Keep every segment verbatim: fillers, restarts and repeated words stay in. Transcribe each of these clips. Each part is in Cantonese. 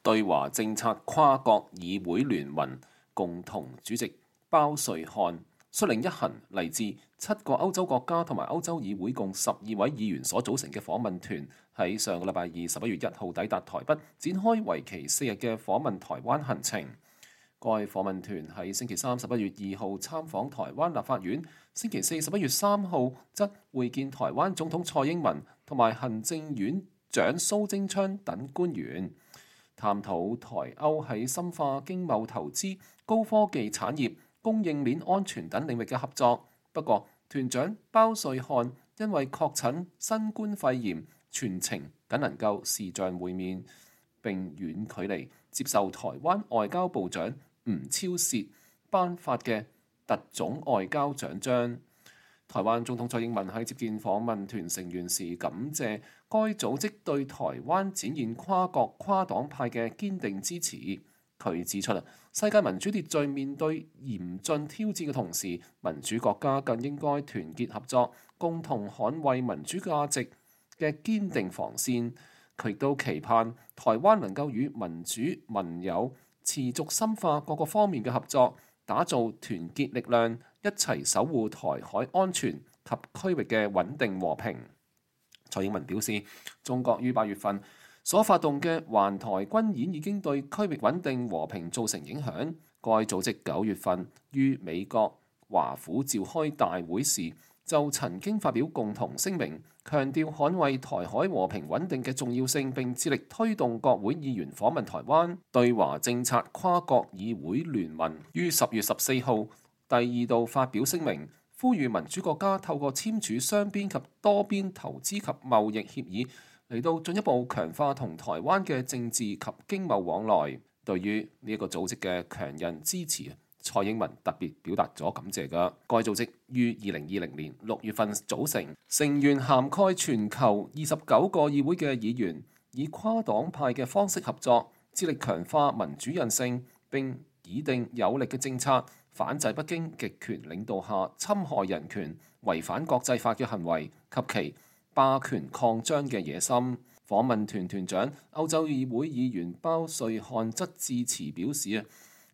對華政策跨國議會聯盟共同主席包瑞漢率領一行嚟自七個歐洲國家同埋歐洲議會共十二位議員所組成嘅訪問團，喺上個禮拜二十一月一號抵達台北，展開為期四日嘅訪問台灣行程。該訪問團喺星期三十一月二號參訪台灣立法院，星期四十一月三號則會見台灣總統蔡英文同埋行政院長蘇貞昌等官員，探討台歐喺深化經貿投資、高科技產業、供應鏈安全等領域嘅合作。不過，團長包瑞漢因為確診新冠肺炎，全程僅能夠視像會面，並遠距離接受台灣外交部長吳釗燮頒發嘅特種外交獎章。台灣總統蔡英文喺接見訪問團成員時，感謝該組織對台灣展現跨國跨黨派嘅堅定支持。佢指出啦，世界民主秩序面對嚴峻挑戰嘅同時，民主國家更應該團結合作，共同捍衛民主價值嘅堅定防線。佢亦都期盼台灣能夠與民主盟友持續深化各個方面嘅合作，打造團結力量，一齊守護台海安全及區域嘅穩定和平。蔡英文表示，中國於八月份所發動嘅環台軍演已經對區域穩定和平造成影響。該組織九月份於美國華府召開大會時，就曾經發表共同聲明，強調捍衛台海和平穩定嘅重要性，並致力推動國會議員訪問台灣。對華政策跨國議會聯盟於十月十四號第二度發表聲明，呼籲民主國家透過簽署雙邊及多邊投資及貿易協議，嚟到進一步強化同台灣嘅政治及經貿往來。對於呢一個組織嘅強韌支持，蔡英文特別表達咗感謝㗎。該組織於二零二零年六月份組成，成員涵蓋全球二十九個議會嘅議員，以跨黨派嘅方式合作，致力強化民主韌性，並擬定有力嘅政策，反制北京極權領導下侵害人權、違反國際法嘅行為及其霸權擴張嘅野心。訪問團團長歐洲議會議員包瑞漢則致辭表示啊，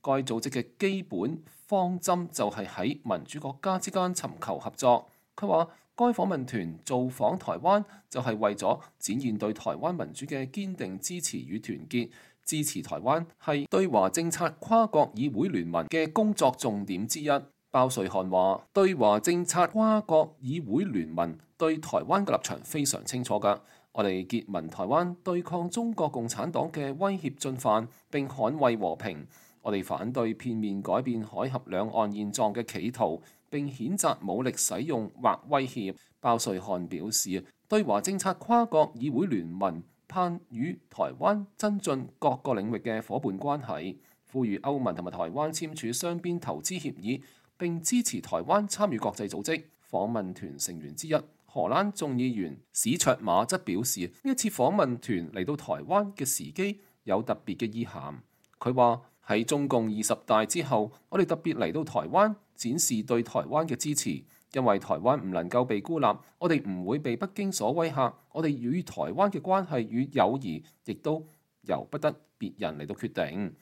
該組織嘅基本方針就係喺民主國家之間尋求合作。佢話，該訪問團造訪台灣就係為咗展現對台灣民主嘅堅定支持與團結。支持台灣係對華政策跨國議會聯盟嘅工作重點之一。包瑞漢話，對華政策跨國議會聯盟對台灣嘅立場非常清楚㗎。我哋結盟台灣，對抗中國共產黨嘅威脅進犯，並捍衛和平。我哋反對片面改變海峽兩岸現狀嘅企圖，並譴責武力使用或威脅。包瑞漢表示，對華政策跨國議會聯盟盼與台灣增進各個領域嘅伙伴關係，呼籲歐盟同埋台灣簽署雙邊投資協議，並支持台灣參與國際組織。訪問團成員之一荷蘭眾議員史卓馬則表示，呢一次訪問團嚟到台灣嘅時機有特別嘅意涵。佢話，喺中共二十大之後，我哋特別嚟到台灣展示對台灣嘅支持。因為台灣唔能夠被孤立，我哋唔會被北京所威嚇，我哋與台灣嘅關係與友誼亦都由不得別人嚟到決定。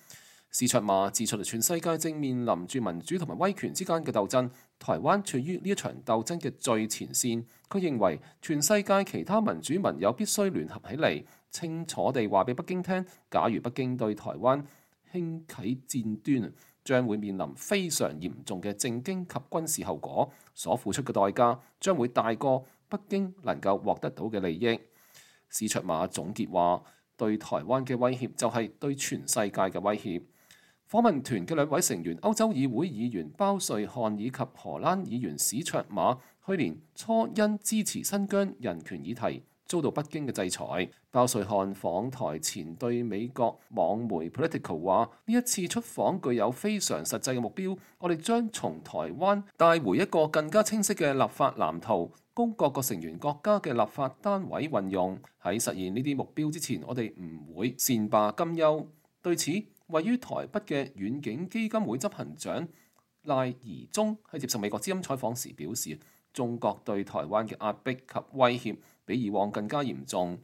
史卓馬指出，全世界正面臨住民主同埋威權之間嘅鬥爭，台灣處於呢一場鬥爭嘅最前線。佢認為全世界其他民主盟友必須聯合起嚟，清楚地話俾北京聽，假如北京對台灣興起戰端，將會面臨非常嚴重嘅政經及軍事後果，所付出嘅代價將會大過北京能夠獲得到嘅利益。史卓馬總結話，對台灣嘅威脅就係對全世界嘅威脅。訪問團嘅兩位成員，歐洲議會議員包瑞漢以及荷蘭議員史卓馬，去年初因支持新疆人權議題遭到北京嘅制裁。包瑞漢訪台前對美國網媒 Politico 話：呢一次出訪具有非常實際嘅目標，我哋將從台灣帶回一個更加清晰嘅立法藍圖，供各個成員國家嘅立法單位運用。喺實現呢啲目標之前，我哋唔會善罷甘休。對此，位於台北嘅遠景基金會執行長賴宜中喺接受美國之音採訪時表示，中國對台灣嘅壓迫及威脅比以往更加嚴重。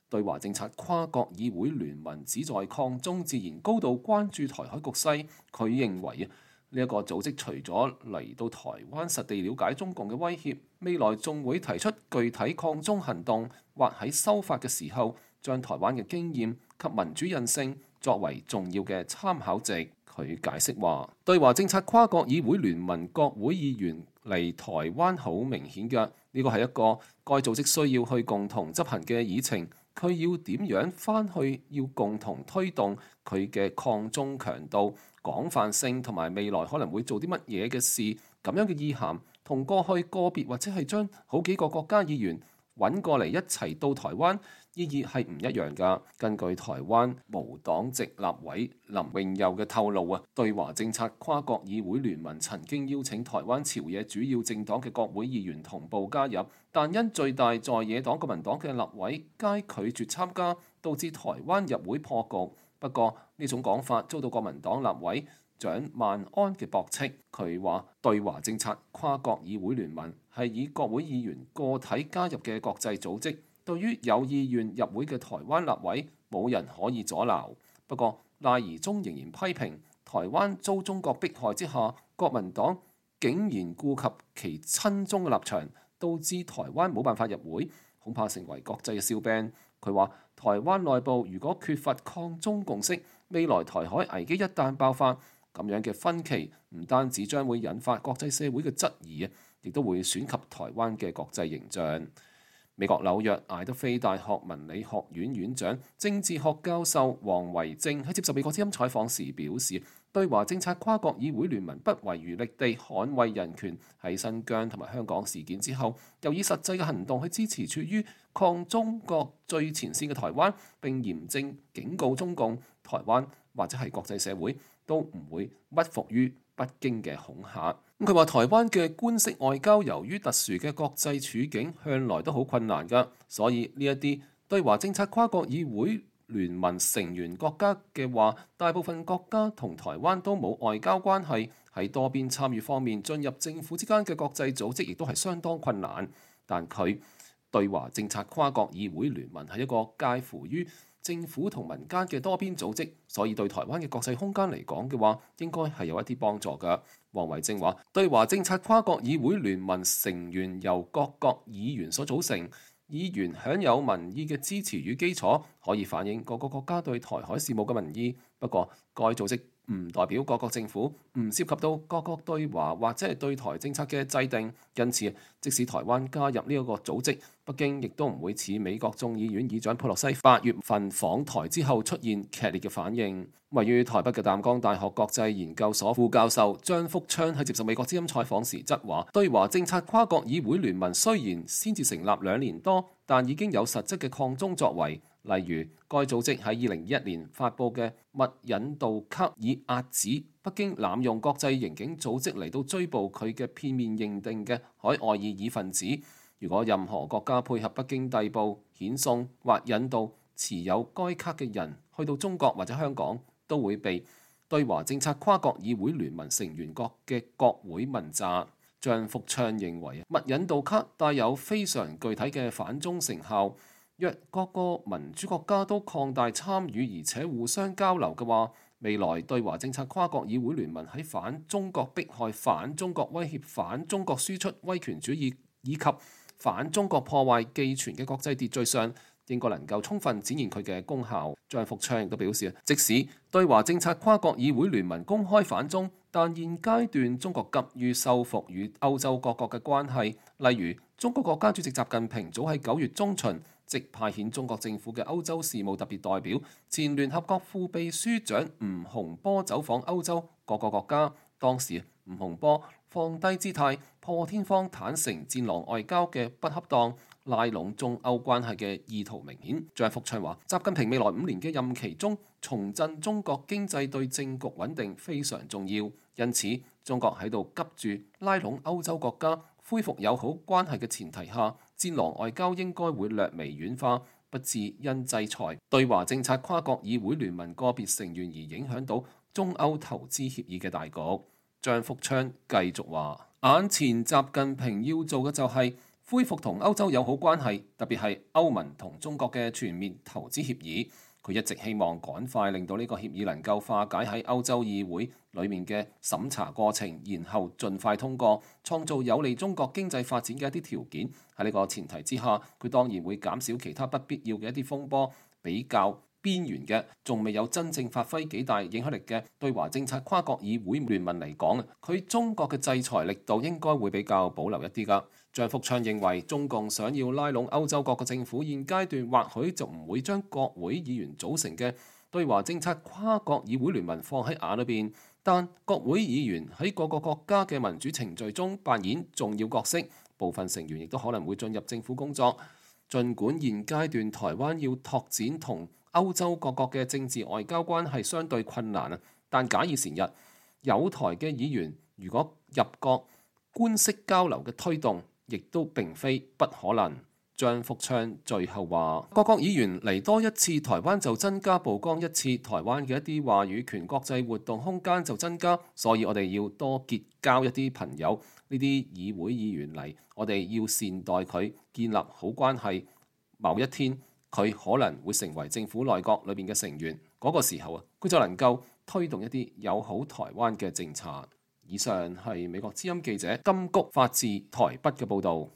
對華政策跨國議會聯盟旨在抗中，自然高度關注台海局勢。佢認為啊，呢一個組織除咗嚟到台灣實地了解中共嘅威脅，未來仲會提出具體抗中行動，或喺修法嘅時候將台灣嘅經驗及民主韌性作為重要嘅參考值。佢解釋話，對華政策跨國議會聯盟國會議員嚟台灣好明顯嘅，呢個係一個該組織需要去共同執行嘅議程。佢要點樣返去，要共同推動佢嘅抗中強度、廣泛性同埋未來可能會做啲乜嘢嘅事，咁樣嘅意涵同過去個別或者係將好幾個國家議員揾過嚟一齊到台灣，意義係唔一樣㗎。根據台灣無黨籍立委林榮佑嘅透露啊，對華政策跨國議會聯盟曾經邀請台灣朝野主要政黨嘅國會議員同步加入，但因最大在野黨國民黨嘅立委皆拒絕參加，導致台灣入會破局。不過呢種講法遭到國民黨立委蔣萬安嘅駁斥。佢話對華政策跨國議會聯盟係以國會議員個體加入嘅國際組織，對於有意願入會嘅台灣立委，冇人可以阻撓。不過賴宜中仍然批評台灣遭中國迫害之下，國民黨竟然顧及其親中嘅立場，導致台灣冇辦法入會，恐怕成為國際嘅笑柄。佢話台灣內部如果缺乏抗中共識，未來台海危機一旦爆發，咁樣嘅分歧唔單止將會引發國際社會嘅質疑啊，亦都會損及台灣嘅國際形象。美國紐約艾德菲大學文理學院院長、政治學教授黃維正喺接受美國之音採訪時表示，對華政策跨國議會聯盟不遺餘力地捍衛人權，喺新疆同埋香港事件之後，又以實際嘅行動去支持處於抗中國最前線嘅台灣，並嚴正警告中共、台灣或者係國際社會都唔會屈服於北京嘅恐嚇。咁佢話台灣嘅官式外交由於特殊嘅國際處境，向來都好困難㗎，所以呢一啲對華政策跨國議會聯盟成員國家嘅話，大部分國家同台灣都冇外交關係，喺多邊參與方面進入政府之間嘅國際組織亦都係相當困難。但佢對華政策跨國議會聯盟係一個介乎於政府同民間嘅多邊組織，所以對台灣嘅國際空間嚟講嘅話，應該係有一啲幫助㗎。黃維正話：對華政策跨國議會聯盟成員由各國議員所組成，議員享有民意嘅支持與基礎，可以反映各個國家對台海事務嘅民意。不過，該組織唔代表各國政府，唔涉及到各國對華或者係對台政策嘅制定。因此，即使台灣加入呢一個組織，北京亦都唔會似美國眾議院議長佩洛西八月份訪台之後出現劇烈嘅反應。位於台北嘅淡江大學國際研究所副教授張福昌喺接受美國之音採訪時則話：對華政策跨國議會聯盟雖然先至成立兩年多，但已經有實質嘅抗中作為。例如，該組織喺二零二一年發布嘅勿引渡卡，以遏止北京濫用國際刑警組織嚟到追捕佢嘅片面認定嘅海外異議分子。如果任何國家配合北京逮捕、遣送或引渡持有該卡嘅人去到中國或者香港，都會被對華政策跨國議會聯盟成員國嘅國會問責。張福昌認為，勿引渡卡帶有非常具體嘅反中成效。若各個民主國家都擴大參與而且互相交流嘅話，未來對華政策跨國議會聯盟喺反中國迫害、反中國威脅、反中國輸出威權主義以及反中國破壞寄存嘅國際秩序上，應該能夠充分展現佢嘅功效。張福昌亦都表示，即使對華政策跨國議會聯盟公開反中，但現階段中國急於修復與歐洲各國嘅關係，例如中國國家主席習近平早喺九月中旬即派遣中國政府嘅歐洲事務特別代表、前聯合國副秘書長吳洪波走訪歐洲各個國家。當時吳洪波放低姿態，破天荒坦承戰狼外交嘅不恰當，拉攏中歐關係嘅意圖明顯。張福昌話：習近平未來五年嘅任期中，重振中國經濟對政局穩定非常重要，因此中國喺度急住拉攏歐洲國家恢復友好關係嘅前提下，戰狼外交應該會略微軟化，不致因制裁對華政策跨國議會聯盟個別成員而影響到中歐投資協議嘅大局。張福昌繼續話：眼前習近平要做嘅就係恢復同歐洲友好關係，特別係歐盟同中國嘅全面投資協議。佢一直希望趕快令到呢個協議能夠化解喺歐洲議會裡面嘅審查過程，然後盡快通過，創造有利中國經濟發展嘅一啲條件。喺呢個前提之下，佢當然會減少其他不必要嘅一啲風波，比較邊緣嘅，仲未有真正發揮幾大影響力嘅對華政策跨國議會聯盟嚟講，佢中國嘅制裁力度應該會比較保留一啲㗎。張福昌認為，中共想要拉攏歐洲各個政府，現階段或許就唔會將國會議員組成嘅對華政策跨國議會聯盟放喺眼裏邊，但國會議員喺各個國家嘅民主程序中扮演重要角色，部分成員亦都可能會進入政府工作。儘管現階段台灣要拓展同歐洲各國嘅政治外交關係相對困難啊，但假以時日，有台嘅議員如果入國官式交流嘅推動，亦都並非不可能。張福昌最後話：各國議員嚟多一次台灣就增加曝光一次台灣嘅一啲話語權，國際活動空間就增加，所以我哋要多結交一啲朋友，呢啲議會議員嚟，我哋要善待佢，建立好關係。某一天佢可能會成為政府內閣裏邊嘅成員，嗰個時候啊，佢就能夠推動一啲友好台灣嘅政策。以上係美國之音記者金谷發自台北嘅報導。